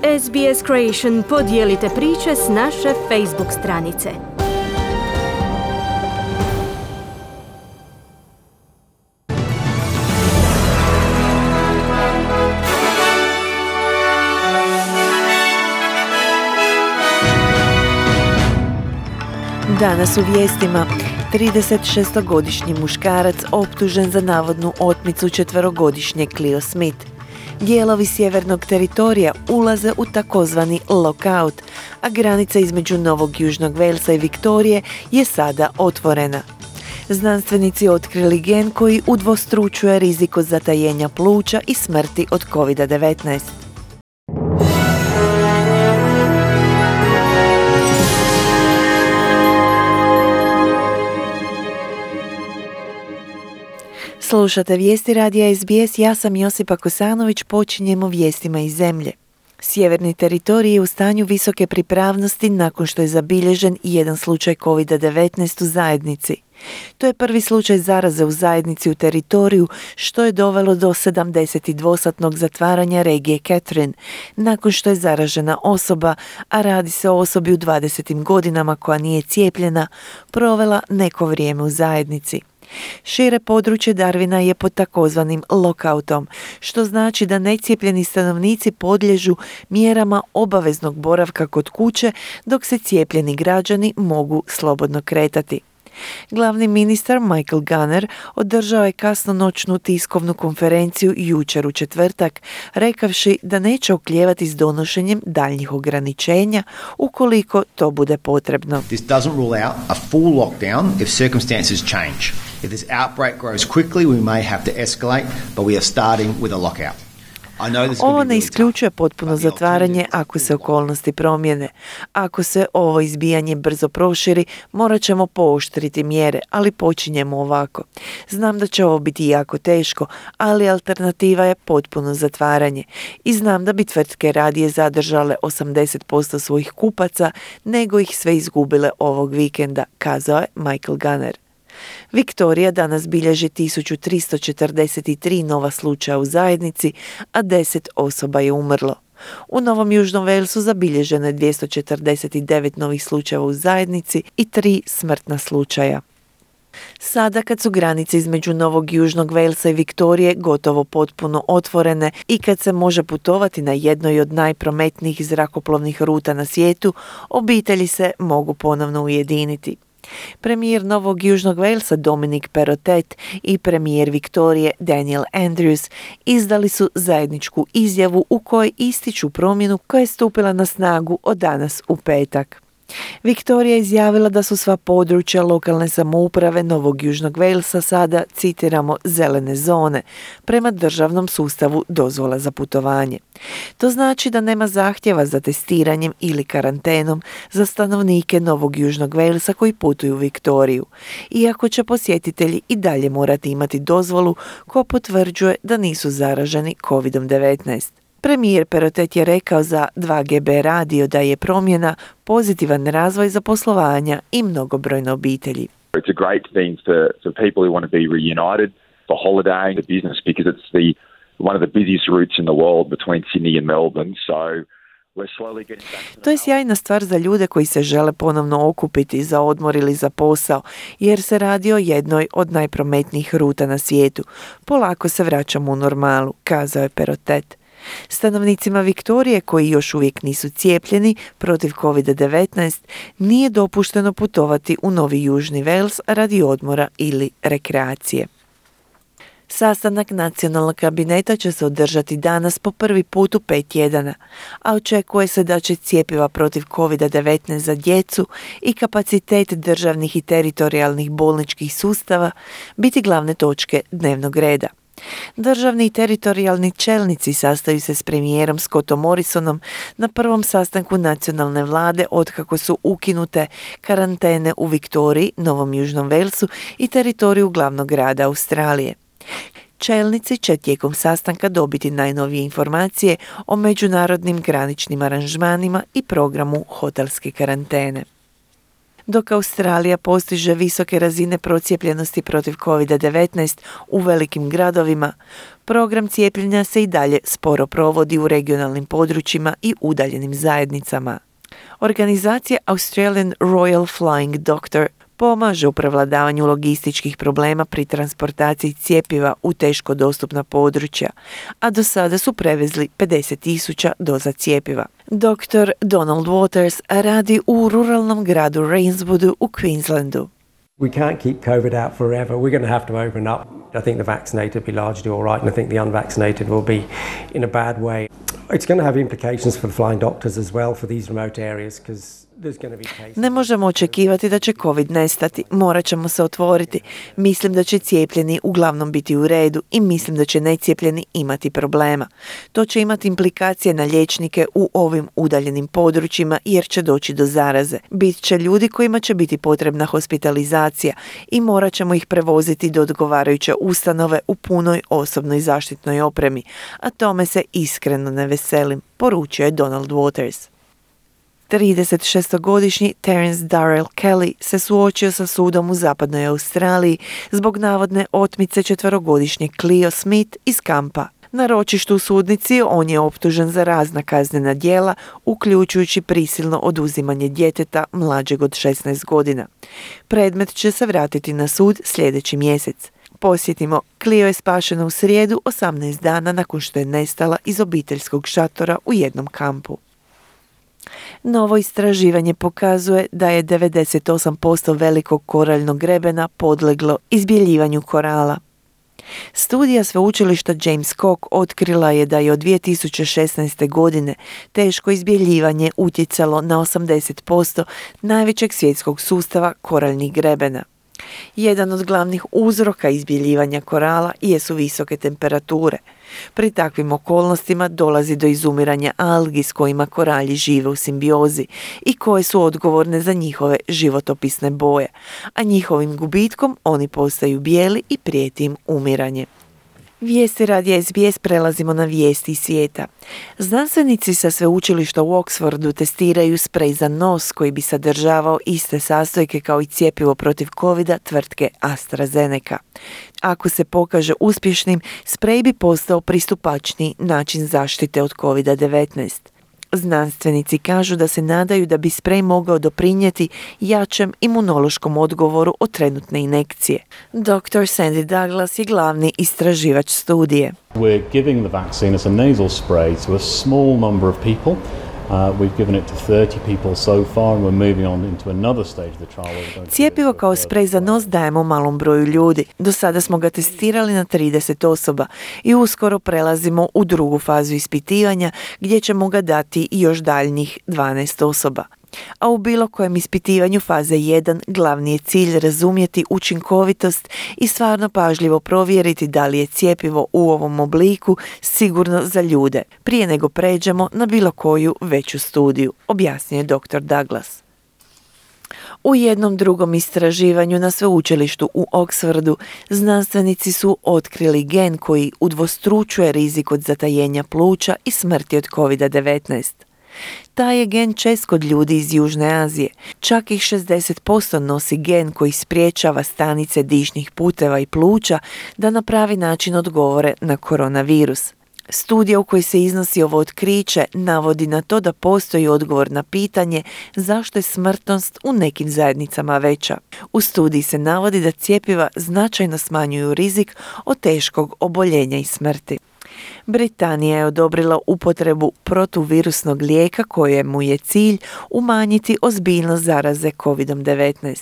SBS Creation podijelite priče s naše Facebook stranice. Danas u vijestima 36-godišnji muškarac optužen za navodnu otmicu 4-godišnje Cleo Smith. Dijelovi sjevernog teritorija ulaze u takozvani lockout, a granica između Novog Južnog Walesa i Viktorije je sada otvorena. Znanstvenici otkrili gen koji udvostručuje rizik od zatajenja pluća i smrti od COVID-19. Slušate vijesti radija SBS, ja sam Josipa Kosanović, počinjemo vijestima iz zemlje. Sjeverni teritorij je u stanju visoke pripravnosti nakon što je zabilježen jedan slučaj COVID-19 u zajednici. To je prvi slučaj zaraze u zajednici u teritoriju, što je dovelo do 72-satnog zatvaranja regije Catherine, nakon što je zaražena osoba, a radi se o osobi u 20. godinama koja nije cijepljena, provela neko vrijeme u zajednici. Šire područje Darwina je pod takozvanim lockoutom, što znači da necijepljeni stanovnici podliježu mjerama obaveznog boravka kod kuće, dok se cijepljeni građani mogu slobodno kretati. Glavni ministar Michael Gunner održao je kasnonoćnu tiskovnu konferenciju jučer u četvrtak, rekavši da neće oklijevati s donošenjem daljnjih ograničenja ukoliko to bude potrebno. This doesn't rule out a full lockdown if circumstances change. If this outbreak grows quickly, we may have to escalate, but we are starting with a lockout. Ovo ne isključuje potpuno zatvaranje ako se okolnosti promijene. Ako se ovo izbijanje brzo proširi, morat ćemo pooštriti mjere, ali počinjemo ovako. Znam da će ovo biti jako teško, ali alternativa je potpuno zatvaranje. I znam da bi tvrtke radije zadržale 80% svojih kupaca, nego ih sve izgubile ovog vikenda, kazao je Michael Gunner. Viktorija danas bilježi 1343 nova slučaja u zajednici, a 10 osoba je umrlo. U Novom Južnom Walesu zabilježeno je 249 novih slučajeva u zajednici i 3 smrtna slučaja. Sada kad su granice između Novog Južnog Walesa i Viktorije gotovo potpuno otvorene i kad se može putovati na jednoj od najprometnijih zrakoplovnih ruta na svijetu, obitelji se mogu ponovno ujediniti. Premijer Novog Južnog Walesa Dominic Perrottet i premijer Viktorije Daniel Andrews izdali su zajedničku izjavu u kojoj ističu promjenu koja je stupila na snagu od danas u petak. Viktorija je izjavila da su sva područja lokalne samouprave Novog Južnog Walesa sada, citiramo, zelene zone, prema državnom sustavu dozvola za putovanje. To znači da nema zahtjeva za testiranjem ili karantenom za stanovnike Novog Južnog Walesa koji putuju u Viktoriju, iako će posjetitelji i dalje morati imati dozvolu koja potvrđuje da nisu zaraženi COVID-19. Premijer Perrottet je rekao za 2GB radio da je promjena pozitivan razvoj za poslovanja i mnogobrojne obitelji. It's a great thing for people who want to be reunited, for holidaying, the business, because it's one of the busiest routes in the world between Sydney and Melbourne. So to je sjajna stvar za ljude koji se žele ponovno okupiti za odmor ili za posao, jer se radi o jednoj od najprometnijih ruta na svijetu. Polako se vraćamo u normalu, kazao je Perrottet. Stanovnicima Viktorije koji još uvijek nisu cijepljeni protiv COVID-19 nije dopušteno putovati u Novi Južni Wales radi odmora ili rekreacije. Sastanak nacionalnog kabineta će se održati danas po prvi put u 5 tjedana, a očekuje se da će cjepiva protiv COVID-19 za djecu i kapacitet državnih i teritorijalnih bolničkih sustava biti glavne točke dnevnog reda. Državni i teritorijalni čelnici sastaju se s premijerom Scottom Morrisonom na prvom sastanku nacionalne vlade otkako su ukinute karantene u Viktoriji, Novom Južnom Walesu i teritoriju glavnog grada Australije. Čelnici će tijekom sastanka dobiti najnovije informacije o međunarodnim graničnim aranžmanima i programu hotelske karantene. Dok Australija postiže visoke razine procijepljenosti protiv COVID-19 u velikim gradovima, program cijepljenja se i dalje sporo provodi u regionalnim područjima i udaljenim zajednicama. Organizacija Australian Royal Flying Doctor pomaže u prevladavanju logističkih problema pri transportaciji cjepiva u teško dostupna područja, a do sada su prevezli 50,000 doza cjepiva. Dr. Donald Waters radi u ruralnom gradu Rainswoodu u Queenslandu. We can't keep COVID out forever. We're going to have to open up. I think the vaccinated will be largely all right, and I think the unvaccinated will be in a bad way. It's going to have implications for the flying doctors as well for these remote areas because there's going to be cases. Ne možemo očekivati da će COVID nestati. Morat ćemo se otvoriti. Mislim da će cijepljeni uglavnom biti u redu i mislim da će necijepljeni imati problema. To će imati implikacije na liječnike u ovim udaljenim područjima jer će doći do zaraze. Bit će ljudi kojima će biti potrebna hospitalizacija i morat ćemo ih prevoziti do odgovarajuće ustanove u punoj osobnoj zaštitnoj opremi, a tome se iskreno ne veselim, poručio je Donald Waters. 36-godišnji Terence Darrell Kelly se suočio sa sudom u zapadnoj Australiji zbog navodne otmice 4-godišnje Cleo Smith iz kampa. Na ročištu u sudnici on je optužen za razna kaznena djela, uključujući prisilno oduzimanje djeteta mlađeg od 16 godina. Predmet će se vratiti na sud sljedeći mjesec. Posjetimo, Cleo je spašena u srijedu 18 dana nakon što je nestala iz obiteljskog šatora u jednom kampu. Novo istraživanje pokazuje da je 98% velikog koraljnog grebena podleglo izbjeljivanju korala. Studija sveučilišta James Cook otkrila je da je od 2016. godine teško izbjeljivanje utjecalo na 80% najvećeg svjetskog sustava koraljnih grebena. Jedan od glavnih uzroka izbjeljivanja korala jesu visoke temperature. Pri takvim okolnostima dolazi do izumiranja algi s kojima koralji žive u simbiozi i koje su odgovorne za njihove životopisne boje, a njihovim gubitkom oni postaju bijeli i prijeti im umiranje. Vijesti radija SBS prelazimo na vijesti iz svijeta. Znanstvenici sa sveučilišta u Oxfordu testiraju sprej za nos koji bi sadržavao iste sastojke kao i cjepivo protiv covida tvrtke AstraZeneca. Ako se pokaže uspješnim, sprej bi postao pristupačniji način zaštite od covida-19. Znanstvenici kažu da se nadaju da bi sprej mogao doprinijeti jačem imunološkom odgovoru od trenutne injekcije. Dr. Sandy Douglas je glavni istraživač studije. We're giving the vaccine as a nasal spray to a small number of people. We've given it to 30 people so far and we're moving on into another stage of the trial. Cjepivo kao sprej za nos dajemo malom broju ljudi. Do sada smo ga testirali na 30 osoba i uskoro prelazimo u drugu fazu ispitivanja gdje ćemo ga dati još daljnjih 12 osoba. A u bilo kojem ispitivanju faze 1 glavni je cilj razumjeti učinkovitost i stvarno pažljivo provjeriti da li je cjepivo u ovom obliku sigurno za ljude, prije nego pređemo na bilo koju veću studiju, objasnio je dr. Douglas. U jednom drugom istraživanju na sveučilištu u Oxfordu znanstvenici su otkrili gen koji udvostručuje rizik od zatajenja pluća i smrti od COVID-19. Taj je gen čest kod ljudi iz Južne Azije. Čak ih 60% nosi gen koji spriječava stanice dišnih puteva i pluća da na pravi način odgovore na koronavirus. Studija u kojoj se iznosi ovo otkriće navodi na to da postoji odgovor na pitanje zašto je smrtnost u nekim zajednicama veća. U studiji se navodi da cjepiva značajno smanjuju rizik od teškog oboljenja i smrti. Britanija je odobrila upotrebu protuvirusnog lijeka kojemu je cilj umanjiti ozbiljnost zaraze COVID-19.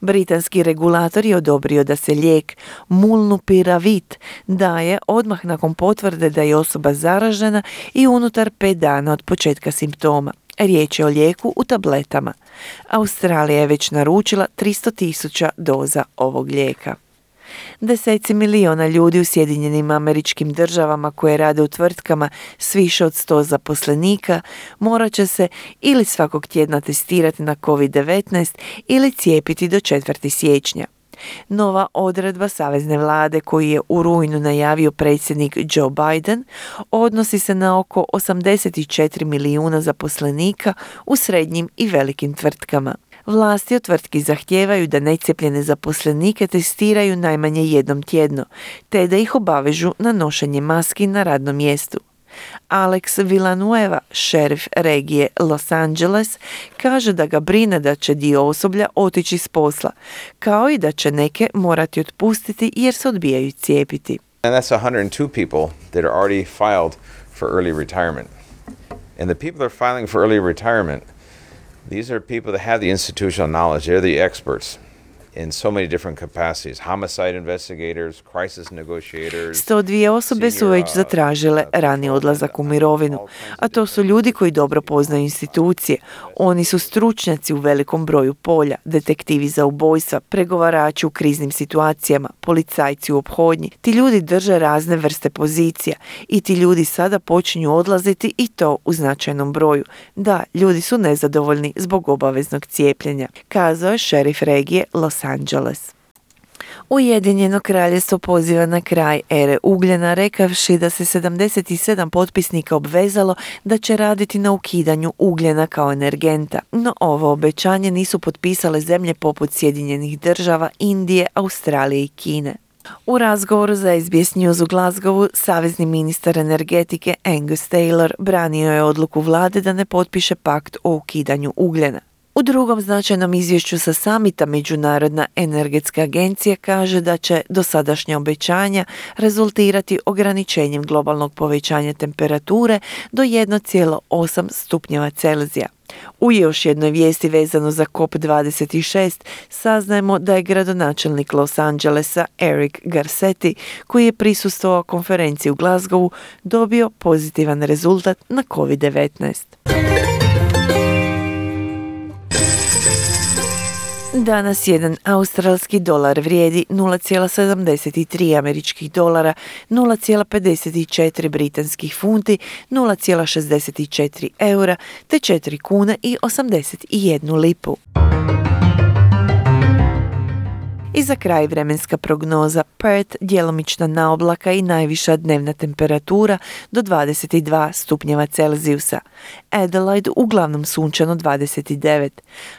Britanski regulator je odobrio da se lijek Molnupiravir daje odmah nakon potvrde da je osoba zaražena i unutar 5 dana od početka simptoma. Riječ je o lijeku u tabletama. Australija je već naručila 300,000 doza ovog lijeka. Deseci miliona ljudi u Sjedinjenim Američkim Državama koje rade u tvrtkama s više od 100 zaposlenika morat će se ili svakog tjedna testirati na COVID-19 ili cijepiti do 4. siječnja. Nova odredba savezne vlade koju je u rujnu najavio predsjednik Joe Biden odnosi se na oko 84 milijuna zaposlenika u srednjim i velikim tvrtkama. Vlasti od tvrtki zahtijevaju da necijepljene zaposlenike testiraju najmanje jednom tjedno, te da ih obavežu na nošenje maski na radnom mjestu. Alex Villanueva, šerif regije Los Angeles, kaže da ga brine da će dio osoblja otići s posla, kao i da će neke morati otpustiti jer se odbijaju cijepiti. And that's 102 people that are already filed for early retirement. And the people that are filing for early retirement, these are people that have the institutional knowledge. They're the experts in so many different capacities. Homicide investigators, crisis negotiators. 102 osobe su već zatražile rani odlazak u mirovinu, a to su ljudi koji dobro poznaju institucije. Oni su stručnjaci u velikom broju polja, detektivi za ubojstva, pregovarači u kriznim situacijama, policajci u ophodnji. Ti ljudi drže razne vrste pozicija i ti ljudi sada počinju odlaziti i to u značajnom broju. Da, ljudi su nezadovoljni zbog obaveznog cijepljenja, kazao je šerif regije Los Angeles. Ujedinjeno kraljevstvo poziva na kraj ere ugljena, rekavši da se 77 potpisnika obvezalo da će raditi na ukidanju ugljena kao energenta, no ovo obećanje nisu potpisale zemlje poput Sjedinjenih država, Indije, Australije i Kine. U razgovoru za SBS News u Glasgowu, savezni ministar energetike Angus Taylor branio je odluku vlade da ne potpiše pakt o ukidanju ugljena. U drugom značajnom izvješću sa samita Međunarodna energetska agencija kaže da će dosadašnja obećanja rezultirati ograničenjem globalnog povećanja temperature do 1,8 stupnjeva Celzija. U još jednoj vijesti vezano za COP26 saznajemo da je gradonačelnik Los Angelesa Eric Garcetti, koji je prisustvovao konferenciji u Glasgowu, dobio pozitivan rezultat na COVID-19. Danas jedan australski dolar vrijedi 0,73 američkih dolara, 0,54 britanskih funti, 0,64 eura te 4 kune i 81 lipu. I za kraj vremenska prognoza: Perth djelomična naoblaka i najviša dnevna temperatura do 22 stupnjeva Celzijusa. Adelaide uglavnom sunčano 29.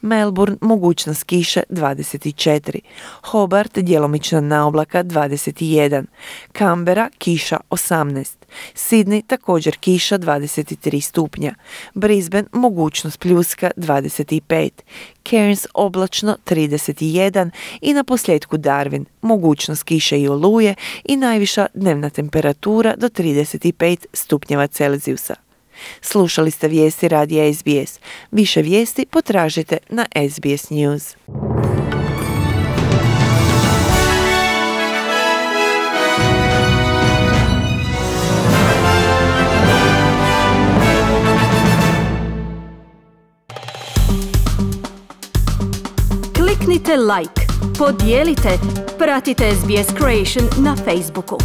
Melbourne mogućnost kiše 24. Hobart djelomična naoblaka 21. Canberra kiša 18. Sydney također kiša 23 stupnja. Brisbane mogućnost pljuska 25. Cairns oblačno 31 i na posljedku Darwin mogućnost kiše i oluje i najviša dnevna temperatura do 35 stupnjeva Celzijusa. Slušali ste vijesti radija SBS. Više vijesti potražite na SBS News. Kliknite like, podijelite, pratite SBS Creation na Facebooku.